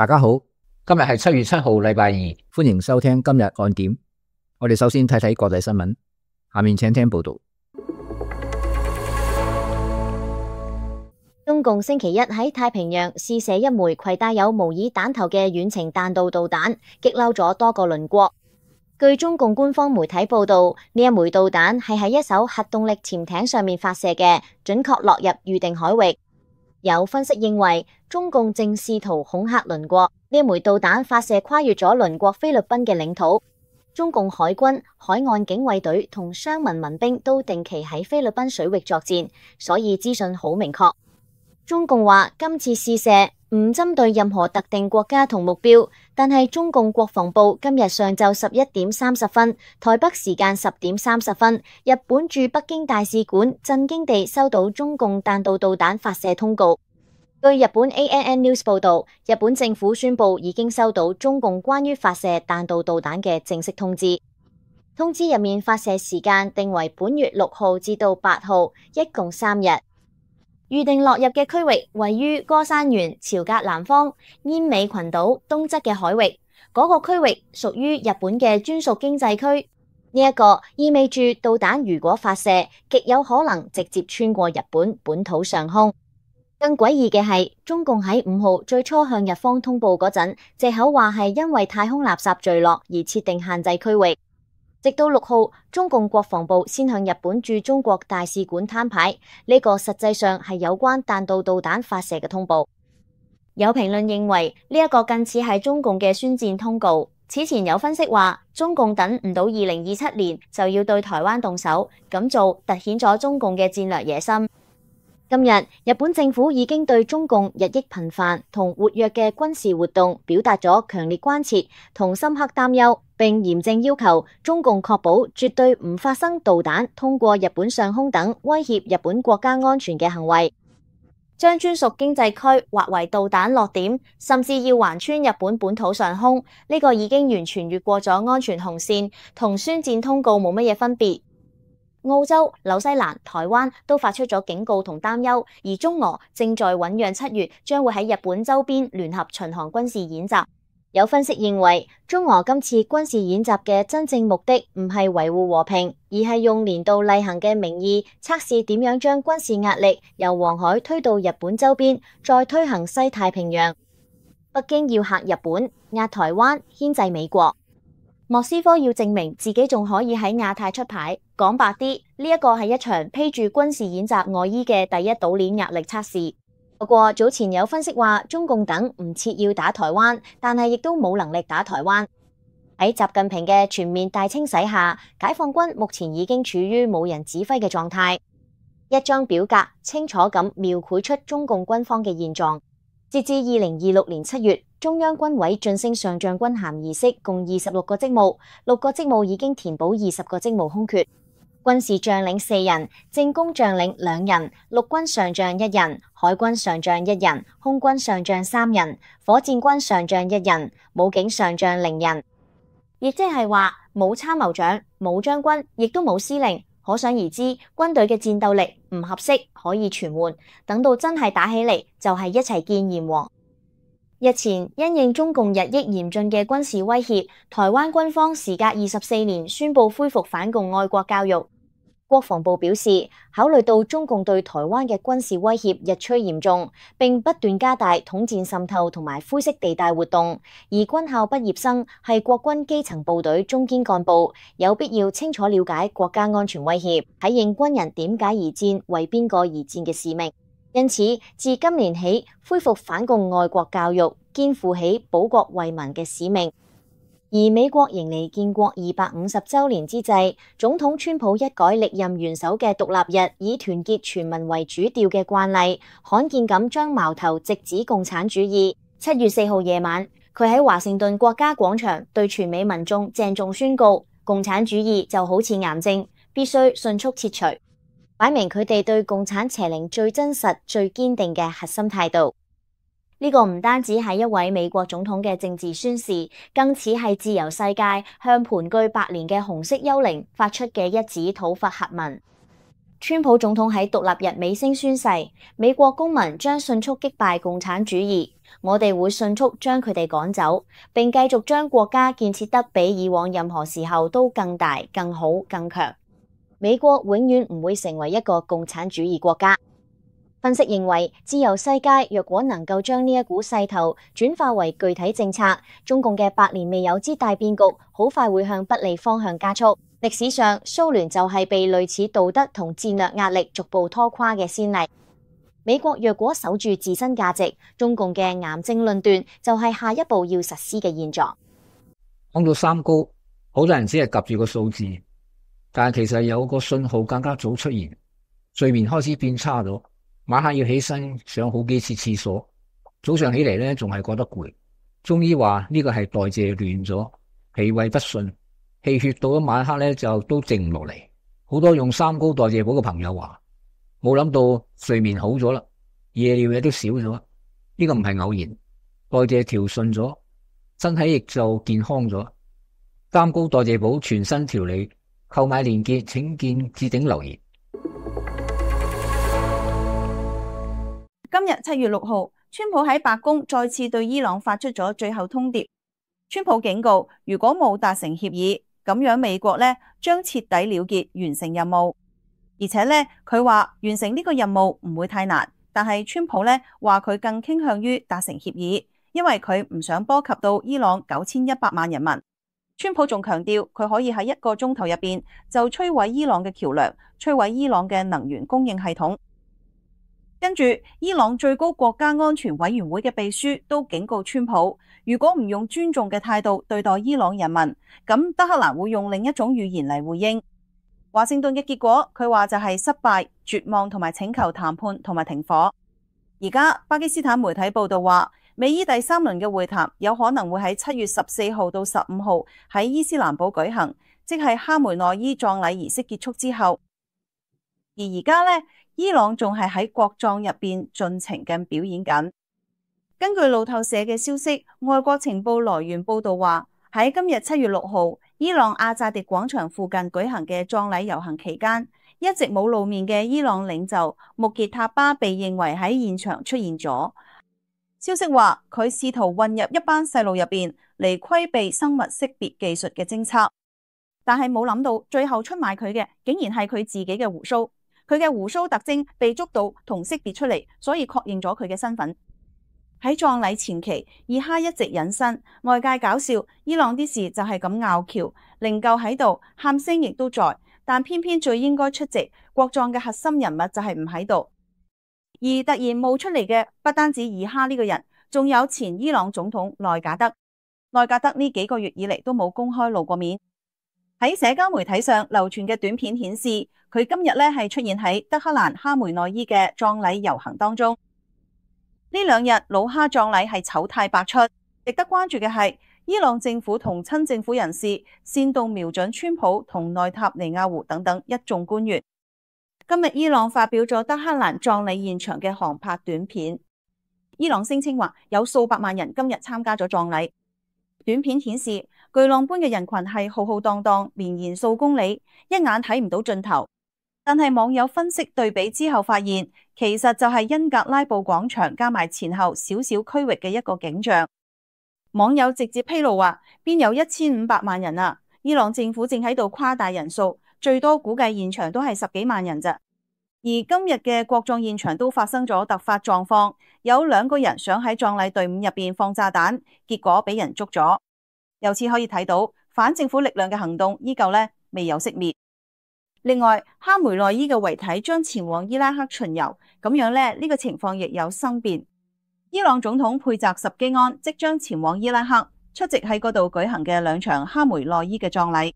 大家好，今日係7月7號，禮拜二。歡迎收聽今日看點。我哋首先睇睇國際新聞，下面請聽報道。中共星期一喺太平洋試射一枚攜帶有模擬彈頭嘅遠程彈道導彈，激嬲咗多個鄰國。據中共官方媒體報道，呢一枚導彈係喺一艘核動力潛艇上面發射嘅，準確落入預定海域。有分析認為，中共正試圖恐嚇鄰國，呢一枚導彈發射跨越咗鄰國菲律賓嘅領土。中共海軍、海岸警衛隊同商民民兵都定期喺菲律賓水域作戰，所以資訊好明確。中共話今次試射唔針對任何特定國家同目標，但係中共國防部今日上晝11:30，台北時間10:30，日本駐北京大使館震驚地收到中共彈道導彈發射通告。據日本 ANN News 報道，日本政府宣布已經收到中共關於發射彈道導彈嘅正式通知。通知入面發射時間定為本月6號至到8號，一共3日。預定落入嘅區域位於歌山縣朝格南方奄美群島東側嘅海域，嗰個區域屬於日本嘅專屬經濟區。呢一個意味住導彈如果發射，極有可能直接穿過日本本土上空。更詭異嘅係，中共喺5號最初向日方通報嗰陣，藉口話係因為太空垃圾墜落而設定限制區域。直到6號，中共國防部先向日本駐中國大使館攤牌，呢個實際上係有關彈道導彈發射嘅通報。有評論認為呢一個近似係中共嘅宣戰通告。此前有分析話，中共等唔到2027年就要對台灣動手，咁做凸顯咗中共嘅戰略野心。今日，日本政府已經對中共日益頻繁同活躍嘅軍事活動表達咗強烈關切同深刻擔憂，並嚴正要求中共確保絕對唔發生導彈通過日本上空等威脅日本國家安全嘅行為。將專屬經濟區劃為導彈落點，甚至要橫穿日本本土上空，呢個已經完全越過咗安全紅線，同宣戰通告冇乜嘢分別。澳洲、紐西蘭、台灣都發出咗警告同擔憂，而中俄正在醞釀7月將會喺日本周邊聯合巡航軍事演習。有分析認為，中俄今次軍事演習嘅真正目的唔係維護和平，而係用年度例行嘅名義測試點樣將軍事壓力由黃海推到日本周邊，再推行西太平洋。北京要嚇日本、壓台灣、牽制美國。莫斯科要證明自己仲可以喺亞太出牌，講白啲，呢一個係一場披住軍事演習外衣嘅第一島鏈壓力測試。不過早前有分析話，中共等唔設要打台灣，但係亦都冇能力打台灣。喺習近平嘅全面大清洗下，解放軍目前已經處於冇人指揮嘅狀態。一張表格清楚咁描繪出中共軍方嘅現狀。截至2026年7月，中央軍委晉升上將軍銜儀式共26個職務，6個職務已經填補20個職務空缺。軍事將領4人，政工將領2人，陸軍上將1人，海軍上將1人，空軍上將3人，火箭軍上將1人，武警上將0人。亦即係話冇參謀長、冇將軍，亦都冇司令。可想而知，軍隊嘅戰鬥力唔合適，可以傳喚。等到真係打起嚟，就係一齊見閻王。日前因應中共日益嚴峻嘅軍事威脅，台灣軍方時隔24年宣布恢復反共愛國教育。國防部表示，考慮到中共對台灣嘅軍事威脅日趨嚴重，並不斷加大統戰滲透同埋灰色地帶活動，而軍校畢業生係國軍基層部隊中堅幹部，有必要清楚了解國家安全威脅，體認軍人點解而戰、為邊個而戰嘅使命。因此，自今年起恢復反共愛國教育，肩負起保國衛民嘅使命。而美國迎嚟建國250週年之際，總統川普一改歷任元首嘅獨立日以團結全民為主調嘅慣例，罕見咁將矛頭直指共產主義。7月4號夜晚，佢喺華盛頓國家廣場對全美民眾鄭重宣告，共產主義就好似癌症，必須迅速切除，擺明佢哋對共產邪靈最真實、最堅定嘅核心態度。呢個唔單止係一位美國總統嘅政治宣示，更似係自由世界向盤踞百年嘅紅色幽靈發出嘅一紙討伐檄文。川普總統喺獨立日尾聲宣誓，美國公民將迅速擊敗共產主義，我哋會迅速將佢哋趕走，並繼續將國家建設得比以往任何時候都更大、更好、更強。美國永遠唔會成為一個共產主義國家。分析認為，自由世界若果能夠將呢一股勢頭轉化為具體政策，中共嘅百年未有之大變局，好快會向不利方向加速。歷史上，蘇聯就係被類似道德同戰略壓力逐步拖垮嘅先例。美國若果守住自身價值，中共嘅癌症論斷就係下一步要實施嘅現狀。講到三高，好多人只係夾住個數字，但係其實有個信號更加早出現，睡眠開始變差咗，晚黑要起身上好幾次廁所，早上起嚟咧仲係覺得攰。中醫話呢個係代謝亂咗，脾胃不順，氣血到咗晚黑咧就都靜唔落嚟。好多用三高代謝補嘅朋友話，冇諗到睡眠好咗啦，夜尿嘢都少咗，呢個唔係偶然，代謝調順咗，身體亦就健康咗。三高代謝補全新調理，購買鏈接請見置頂留言。今日7月6號，川普喺白宮再次對伊朗發出咗最後通牒。川普警告，如果冇達成協議，咁樣美國呢將徹底了結完成任務。而且呢，佢話完成呢個任務唔會太難，但係川普呢話佢更傾向於達成協議，因為佢唔想波及到伊朗9100萬人民。川普仲強調，佢可以喺1個鐘頭入邊就摧毀伊朗嘅橋梁，摧毀伊朗嘅能源供應系統。跟住，伊朗最高國家安全委員會嘅秘書都警告川普，如果唔用尊重嘅態度對待伊朗人民，咁德黑蘭會用另一種語言嚟回應。華盛頓嘅結果，佢話就係失敗、絕望同埋請求談判同埋停火。而家巴基斯坦媒體報道話，美伊第3輪嘅會談有可能會喺7月14號到15號喺伊斯蘭堡舉行，即係哈梅內伊葬禮儀式結束之後。而家呢，伊朗仲係喺國葬入邊盡情咁表演緊。根據路透社嘅消息，外國情報來源報道話，喺今日7月6號，伊朗阿扎迪廣場附近舉行嘅葬禮遊行期間，一直冇露面嘅伊朗領袖穆傑塔巴被認為喺現場出現咗。消息話佢試圖混入一班細路入邊嚟規避生物識別技術嘅偵測，但係冇諗到最後出賣佢嘅竟然係佢自己嘅鬍鬚。佢嘅鬍鬚特徵被捉到同識別出嚟，所以確認咗佢嘅身份。喺葬禮前期，二哈一直隱身，外界搞笑伊朗啲事就係咁拗撬，靈柩喺度，喊聲亦都在，但偏偏最應該出席國葬嘅核心人物就係唔喺度。而突然冒出嚟嘅不單止二哈呢個人，仲有前伊朗總統內賈德。內賈德呢幾個月以嚟都冇公開露過面。喺社交媒體上流傳嘅短片顯示，佢今日咧係出現喺德黑蘭哈梅內伊嘅葬禮遊行當中。呢2日老哈葬禮係醜態百出，值得關注嘅係伊朗政府同親政府人士煽動瞄準川普同內塔尼亞胡等等一眾官員。今日伊朗發表咗德黑蘭葬禮現場嘅航拍短片，伊朗聲稱話有數百萬人今日參加咗葬禮。短片顯示巨浪般嘅人群係浩浩蕩蕩，綿延數公里，一眼睇唔到盡頭。但係網友分析對比之後發現，其實就係恩格拉布廣場加埋前後小小區域嘅一個景象。網友直接披露話，邊有1500萬人啊？伊朗政府正喺度誇大人數，最多估計現場都係10幾萬人咋。而今日嘅國葬現場都發生咗突發狀況，有2個人想喺葬禮隊伍入邊放炸彈，結果俾人捉咗。由此可以睇到，反政府力量嘅行動依舊未有熄滅。另外，哈梅內伊嘅遺體將前往伊拉克巡遊，咁樣呢個情況亦有生變。伊朗總統佩澤什基安即將前往伊拉克出席喺嗰度舉行嘅2場哈梅內伊嘅葬禮。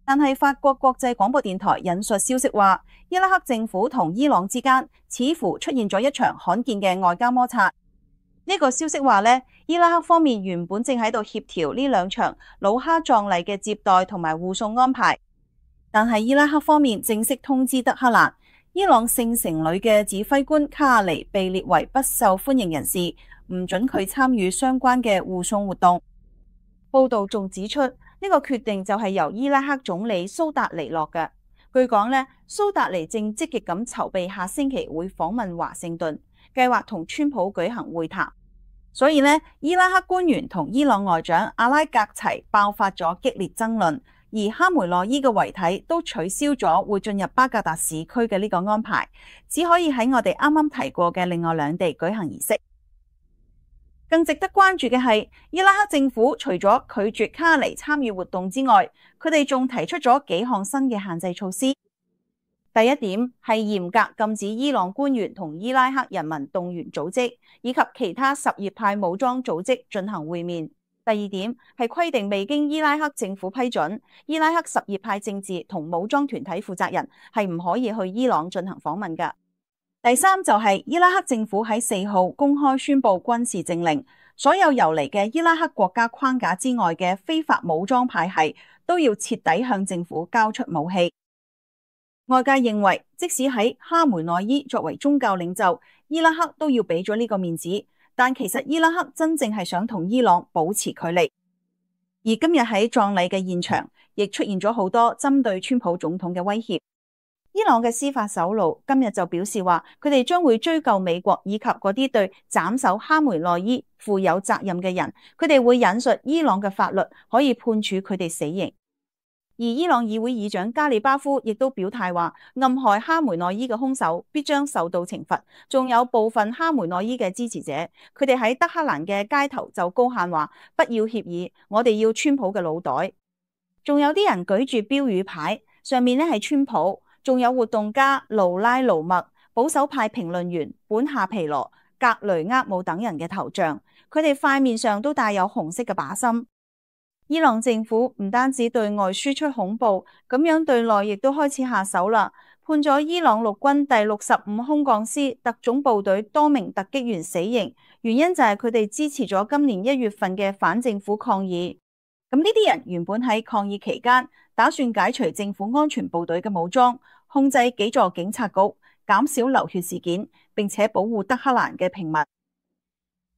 但係法國國際廣播電台引述消息話，伊拉克政府同伊朗之間似乎出現咗一場罕見嘅外交摩擦。呢個消息話伊拉克方面原本正喺度協調呢2場老哈葬禮嘅接待同埋護送安排，但係伊拉克方面正式通知德黑蘭，伊朗聖城旅嘅指揮官卡亞尼被列為不受歡迎人士，唔准佢參與相關嘅護送活動。報道仲指出，呢個決定就係由伊拉克總理蘇達尼落嘅。據講呢，蘇達尼正積極咁籌備下星期會訪問華盛頓，計劃同川普舉行會談。所以呢，伊拉克官員同伊朗外長阿拉格齊爆發咗激烈爭論，而哈梅內伊嘅遺體都取消咗會進入巴格達市區嘅呢個安排，只可以喺我哋啱啱提過嘅另外兩地舉行儀式。更值得關注嘅係，伊拉克政府除咗拒絕卡尼參與活動之外，佢哋仲提出咗幾項新嘅限制措施。第一點係嚴格禁止伊朗官員同伊拉克人民動員組織以及其他什葉派武裝組織進行會面。第二點係規定未經伊拉克政府批准，伊拉克什葉派政治同武裝團體負責人係唔可以去伊朗進行訪問㗎。第三就係伊拉克政府喺4號公開宣布軍事政令，所有游離嘅伊拉克國家框架之外嘅非法武裝派系都要徹底向政府交出武器。外界認為，即使喺哈梅內伊作為宗教領袖，伊拉克都要俾咗呢個面子，但其實伊拉克真正係想同伊朗保持距離。而今日喺葬禮嘅現場，亦出現咗好多針對川普總統嘅威脅。伊朗嘅司法首腦今日就表示話，佢哋將會追究美國以及嗰啲對斬首哈梅內伊負有責任嘅人，佢哋會引述伊朗嘅法律，可以判處佢哋死刑。而伊朗議會議長加里巴夫亦都表態話，暗害哈梅內伊嘅兇手必將受到懲罰。仲有部分哈梅內伊嘅支持者，佢哋喺德黑蘭嘅街頭就高喊話，不要協議，我哋要川普嘅腦袋。仲有啲人舉住標語牌，上面呢係川普，仲有活動家盧拉盧默、保守派評論員本夏皮羅、格雷厄姆等人嘅頭像，佢哋塊面上都帶有紅色嘅靶心。伊朗政府唔單止對外輸出恐怖，咁樣對內亦都開始下手啦，判咗伊朗陸軍第65空降師特種部隊多名突擊員死刑，原因就係佢哋支持咗今年1月份嘅反政府抗議。咁呢啲人原本喺抗議期間打算解除政府安全部隊嘅武裝，控制幾座警察局，減少流血事件，並且保護德黑蘭嘅平民。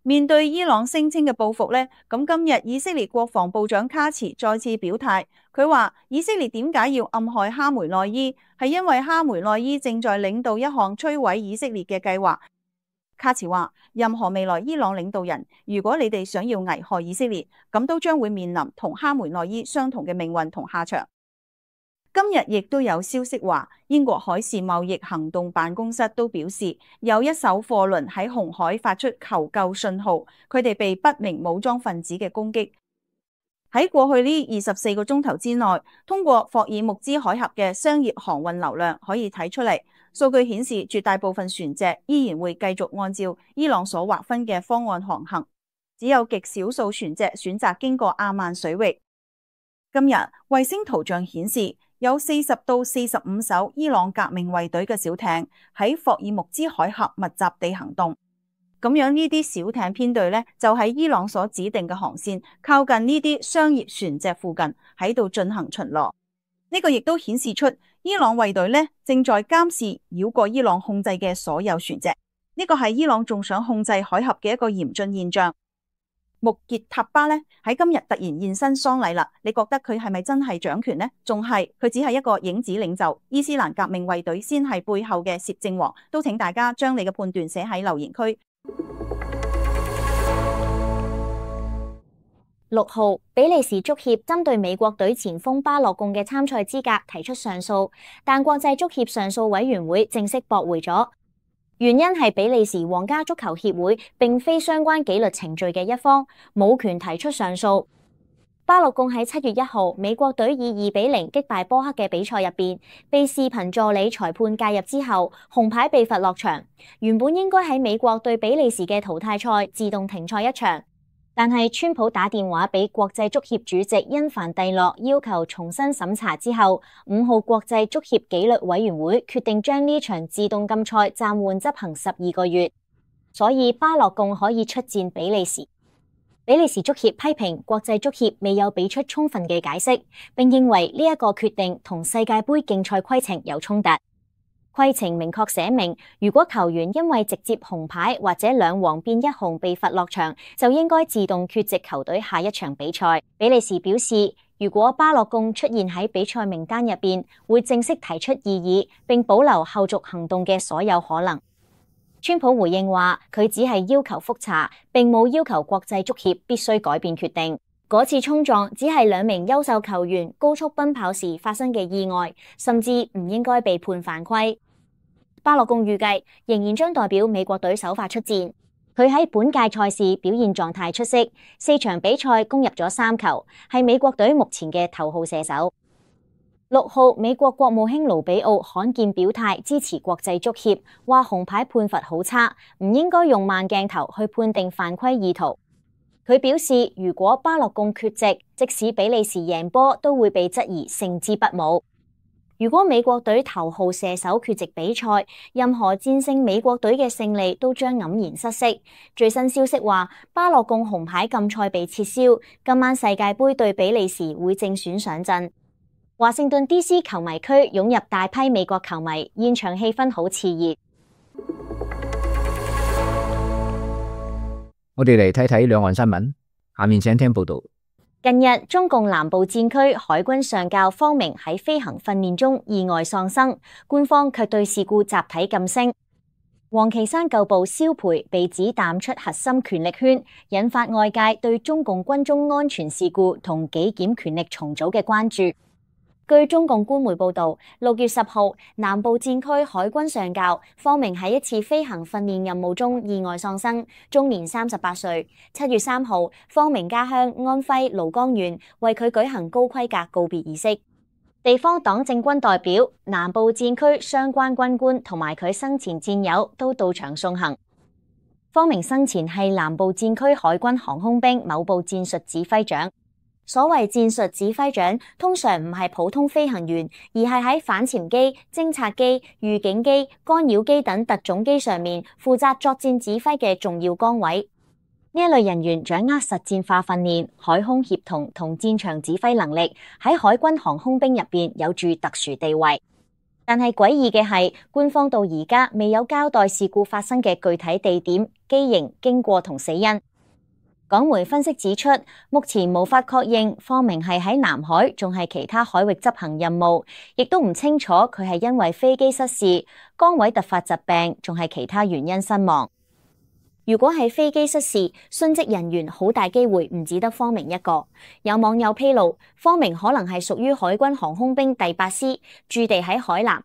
面對伊朗聲稱嘅報復呢，咁今日以色列國防部長卡茨再次表態，佢話以色列點解要暗害哈梅內伊，係因為哈梅內伊正在領導一項摧毀以色列嘅計劃。卡茨話，任何未來伊朗領導人，如果你哋想要危害以色列，咁都將會面臨同哈梅內伊相同嘅命運同下場。今日亦都有消息話，英國海事貿易行動辦公室都表示，有一艘貨輪喺紅海發出求救信號，佢哋被不明武裝分子嘅攻擊。喺過去呢24個鐘頭之內，通過霍爾木茲海峽嘅商業航運流量可以睇出嚟，數據顯示絕大部分船隻依然會繼續按照伊朗所劃分嘅方案航行，只有極少數船隻選擇經過阿曼水域。今日衛星圖像顯示，有40到45艘伊朗革命衛隊嘅小艇喺霍爾木茲海峽密集地行動。咁樣呢啲小艇編隊呢，就喺伊朗所指定嘅航線，靠近呢啲商業船隻附近喺度進行巡邏。呢個亦都顯示出伊朗衛隊呢正在監視繞過伊朗控制嘅所有船隻。呢個係伊朗仲想控制海峽嘅一個嚴峻現象。穆傑塔巴呢喺今日突然現身喪禮啦，你覺得佢係咪真係掌權呢？仲係佢只係一個影子領袖？伊斯蘭革命衛隊先係背後嘅攝政王？都請大家將你嘅判斷寫喺留言區。6號，比利時足協針對美國隊前鋒巴洛貢嘅參賽資格提出上訴，但國際足協上訴委員會正式駁回咗。原因係比利時皇家足球協會並非相關紀律程序嘅一方，冇權提出上訴。巴洛貢喺7月1號美國隊以2-0擊敗波克嘅比賽入邊，被視頻助理裁判介入之後，紅牌被罰落場。原本應該喺美國對比利時嘅淘汰賽自動停賽一場，但係川普打電話俾國際足協主席因凡蒂諾，要求重新審查之後，5號國際足協紀律委員會決定將呢場自動禁賽暫緩執行12個月，所以巴洛貢可以出戰比利時。比利時足協批評國際足協未有俾出充分嘅解釋，並認為呢一個決定同世界盃競賽規程有衝突。規程明確寫明，如果球員因為直接紅牌或者2黃變1紅被罰落場，就應該自動缺席球隊下一場比賽。比利時表示，如果巴洛貢出現喺比賽名單入邊，會正式提出異議，並保留後續行動嘅所有可能。川普回應話，佢只係要求覆查，並冇要求國際足協必須改變決定。嗰次衝撞只係兩名優秀球員高速奔跑時發生嘅意外，甚至唔應該被判犯規。巴洛貢預計仍然將代表美國隊首發出戰。佢喺本屆賽事表現狀態出色，4場比賽攻入咗3球，係美國隊目前嘅頭號射手。6號，美國國務卿盧比奧罕見表態支持國際足協，話紅牌判罰好差，唔應該用慢鏡頭去判定犯規意圖。佢表示，如果巴洛貢缺席，即使比利時贏波，都會被質疑勝之不武。如果美國隊頭號射手缺席比賽，任何戰勝美國隊嘅勝利都將黯然失色。最新消息話，巴洛貢紅牌禁賽被撤銷，今晚世界盃對比利時會正選上陣。華盛頓 DC 球迷區湧入大批美國球迷，現場氣氛好熾熱。我哋嚟睇睇兩岸新聞，下面請聽報道。近日，中共南部戰區海軍上校方明喺飛行訓練中意外喪生，官方卻對事故集體噤聲。王岐山舊部蕭培被指淡出核心權力圈，引發外界對中共軍中安全事故同紀檢權力重組嘅關注。據中共官媒報道，6月10號，南部戰區海軍上校方明喺一次飛行訓練任務中意外喪生，終年38歲。7月3號，方明家鄉安徽廬江縣為佢舉行高規格告別儀式。地方黨政軍代表、南部戰區相關軍官同埋佢生前戰友都到場送行。方明生前係南部戰區海軍航空兵某部戰術指揮長。所謂戰術指揮長，通常唔係普通飛行員，而係喺反潛機、偵察機、預警機、干擾機等特種機上面負責作戰指揮嘅重要崗位。呢一類人員掌握實戰化訓練、海空協同同戰場指揮能力，喺海軍航空兵入邊有住特殊地位。但係詭異嘅係，官方到而家未有交代事故發生嘅具體地點、機型、經過同死因。港媒分析指出，目前無法確認方明係喺南海，仲係其他海域執行任務，亦都唔清楚佢係因為飛機失事、崗位突發疾病，仲係其他原因身亡。如果係飛機失事，殉職人員好大機會唔止得方明一個。有網友披露，方明可能係屬於海軍航空兵第8師，駐地喺海南。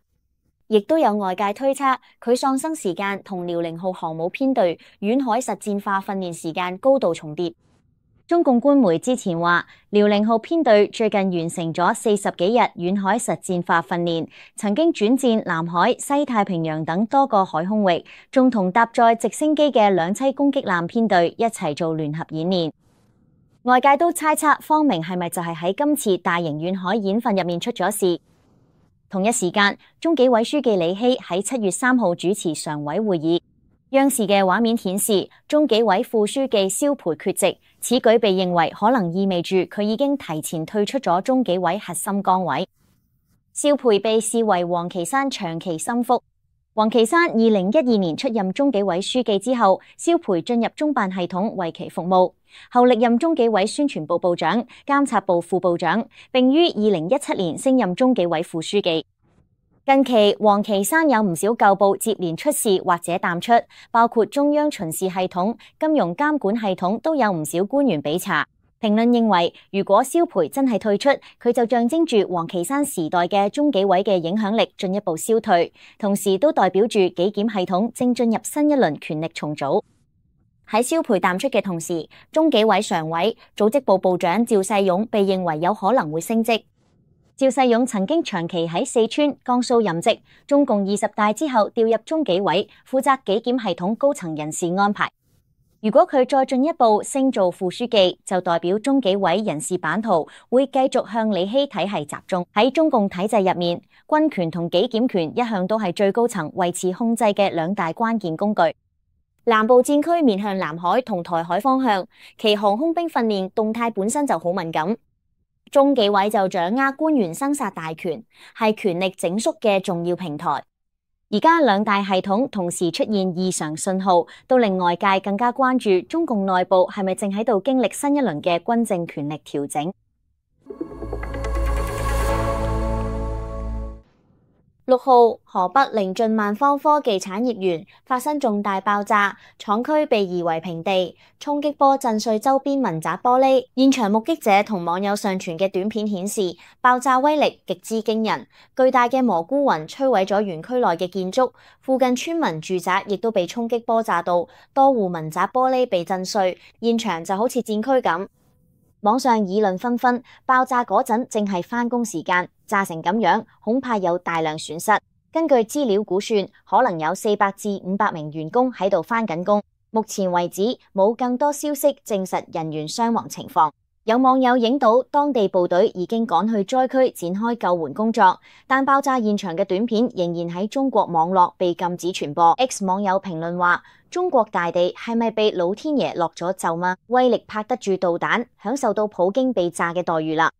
亦都有外界推測，佢喪生時間同遼寧號航母編隊遠海實戰化訓練時間高度重疊。中共官媒之前話，遼寧號編隊最近完成咗40幾日遠海實戰化訓練，曾經轉戰南海、西太平洋等多個海空域，仲同搭載直升機嘅兩棲攻擊艦編隊一齊做聯合演練。外界都猜測方明係咪就係喺今次大型遠海演訓入面出咗事。同一時間，中紀委書記李希喺7月3號主持常委會議。央視嘅畫面顯示，中紀委副書記蕭培缺席，此舉被認為可能意味住佢已經提前退出咗中紀委核心崗位。蕭培被視為王岐山長期心腹。王岐山2012年出任中紀委書記之後，蕭培進入中辦系統為其服務，後歷任中紀委宣傳部部長、監察部副部長，並於2017年升任中紀委副書記。近期，王岐山有唔少舊部接連出事或者淡出，包括中央巡視系統、金融監管系統都有唔少官員被查。評論認為，如果蕭培真係退出，佢就象徵住王岐山時代嘅中紀委嘅影響力進一步消退，同時都代表住紀檢系統正進入新一輪權力重組。喺蕭培淡出嘅同時，中紀委常委、組織部部長趙世勇被認為有可能會升職。趙世勇曾經長期喺四川、江蘇任職，中共20大之後調入中紀委，負責紀檢系統高層人事安排。如果佢再進一步升做副書記，就代表中紀委人事版圖會繼續向李希體系集中。喺中共體制入面，軍權同紀檢權一向都係最高層維持控制嘅兩大關鍵工具。南部戰區面向南海同台海方向，其航空兵訓練動態本身就好敏感。中紀委就掌握官員生殺大權，係權力整肅嘅重要平台。而家兩大系統同時出現異常信號，都令外界更加關注中共內部係咪正喺度經歷新一輪嘅軍政權力調整。6號，河北靈晉萬方科技產業園發生重大爆炸，廠區被夷為平地，衝擊波震碎周邊民宅玻璃。現場目擊者同網友上傳嘅短片顯示，爆炸威力極之驚人，巨大嘅蘑菇雲摧毀咗園區內嘅建築，附近村民住宅亦都被衝擊波炸到，多戶民宅玻璃被震碎，現場就好似戰區咁。網上議論紛紛，爆炸嗰陣正係返工時間，炸成咁樣，恐怕有大量損失。根據資料估算，可能有400至500名員工喺度返緊工。目前為止，冇更多消息證實人員傷亡情況。有網友影到當地部隊已經趕去災區展開救援工作，但爆炸現場嘅短片仍然喺中國網絡被禁止傳播。X 網友評論話：中國大地係咪被老天爺落咗咒嗎？威力拍得住導彈，享受到普京被炸嘅待遇啦。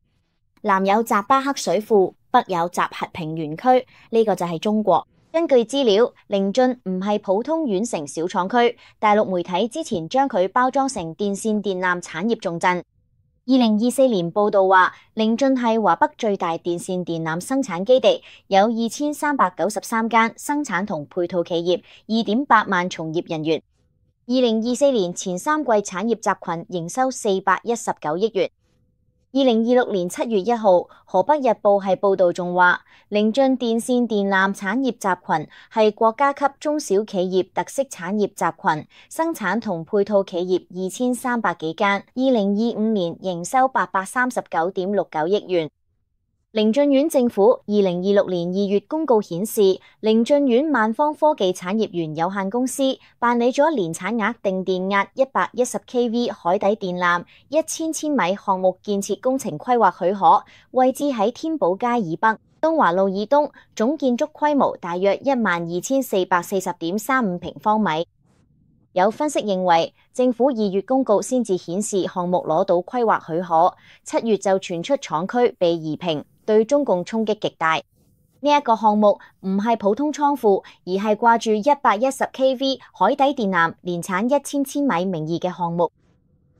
南有扎巴克水庫，北有集合平原區，呢個就係中國。根據資料，靈晉唔係普通縣城小廠區，大陸媒體之前將佢包裝成電線電纜產業重鎮。2024年報道話，靈晉係華北最大電線電纜生產基地，有2393間生產同配套企業，2.8萬從業人員。2024年前3季產業集群營收419億元。2026年7月1號，河北日報係報道仲話，靈晉電線電纜產業集群係國家級中小企業特色產業集群，生產同配套企業2300幾間，2025年營收839.69億元。靈晉縣政府2026年2月公告顯示，靈晉縣萬方科技產業園有限公司辦理咗年產額定電壓110 kV 海底電纜1000千米項目建設工程規劃許可，位置喺天寶街以北、東華路以東，總建築規模大約12440.35平方米。有分析認為，政府2月公告先至顯示項目攞到規劃許可，7月就傳出廠區被夷平，對中共衝擊極大。呢一個項目唔係普通倉庫，而係掛住110 kV 海底電纜，年產1000千米名義嘅項目。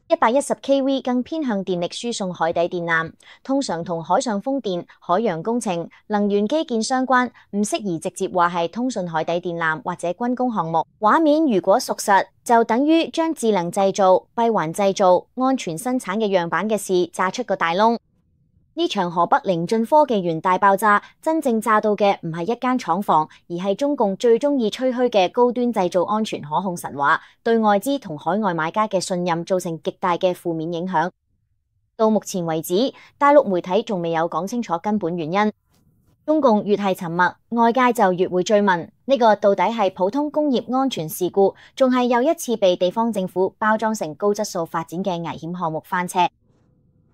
110 kV 更偏向電力輸送海底電纜，通常同海上風電、海洋工程、能源基建相關，唔適宜直接話係通訊海底電纜或者軍工項目。畫面如果屬實，就等於將智能製造、閉環製造、安全生產嘅樣板嘅事炸出個大窿。呢場河北靈晉科技園大爆炸，真正炸到嘅唔係一間廠房，而係中共最中意吹噓嘅高端製造安全可控神話，對外資同海外買家嘅信任造成極大嘅負面影響。到目前為止，大陸媒體仲未有講清楚根本原因。中共越係沉默，外界就越會追問，呢個到底係普通工業安全事故，仲係又一次被地方政府包裝成高質素發展嘅危險項目翻車？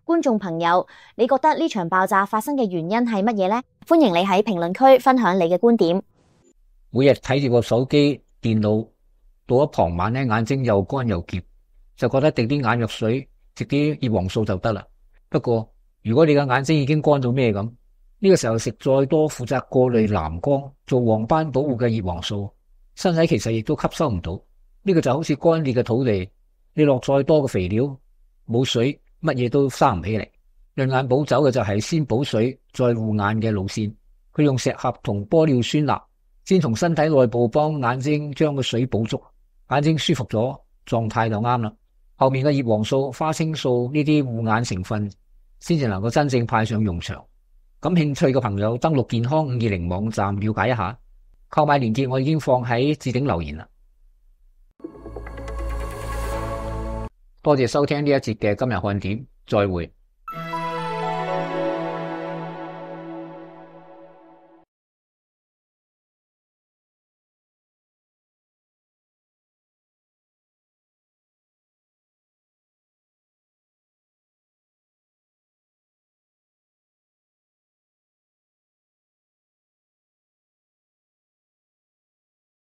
觀眾朋友，你覺得呢場爆炸發生嘅原因係乜嘢呢？歡迎你喺評論區分享你嘅觀點。每日睇住個手機、電腦，到咗傍晚咧，眼睛又乾又澀，就覺得滴啲眼藥水、食啲葉黃素就得啦。不過，如果你嘅眼睛已經乾到咩咁，呢個時候食再多負責過濾藍光、做黃斑保護嘅葉黃素，身體其實亦都吸收唔到。呢個就好似乾裂嘅土地，你落再多嘅肥料，冇水，乜嘢都生唔起嚟。潤眼補酒嘅就係先補水再護眼嘅路線，佢用石斛同玻尿酸鈉先從身體內部幫眼睛將個水補足，眼睛舒服咗，狀態就啱啦。後面嘅葉黃素、花青素呢啲護眼成分先至能夠真正派上用場。感興趣嘅朋友登錄健康520網站了解一下，購買鏈接我已經放喺置頂留言啦。多謝收聽呢一節嘅今日看點，再會。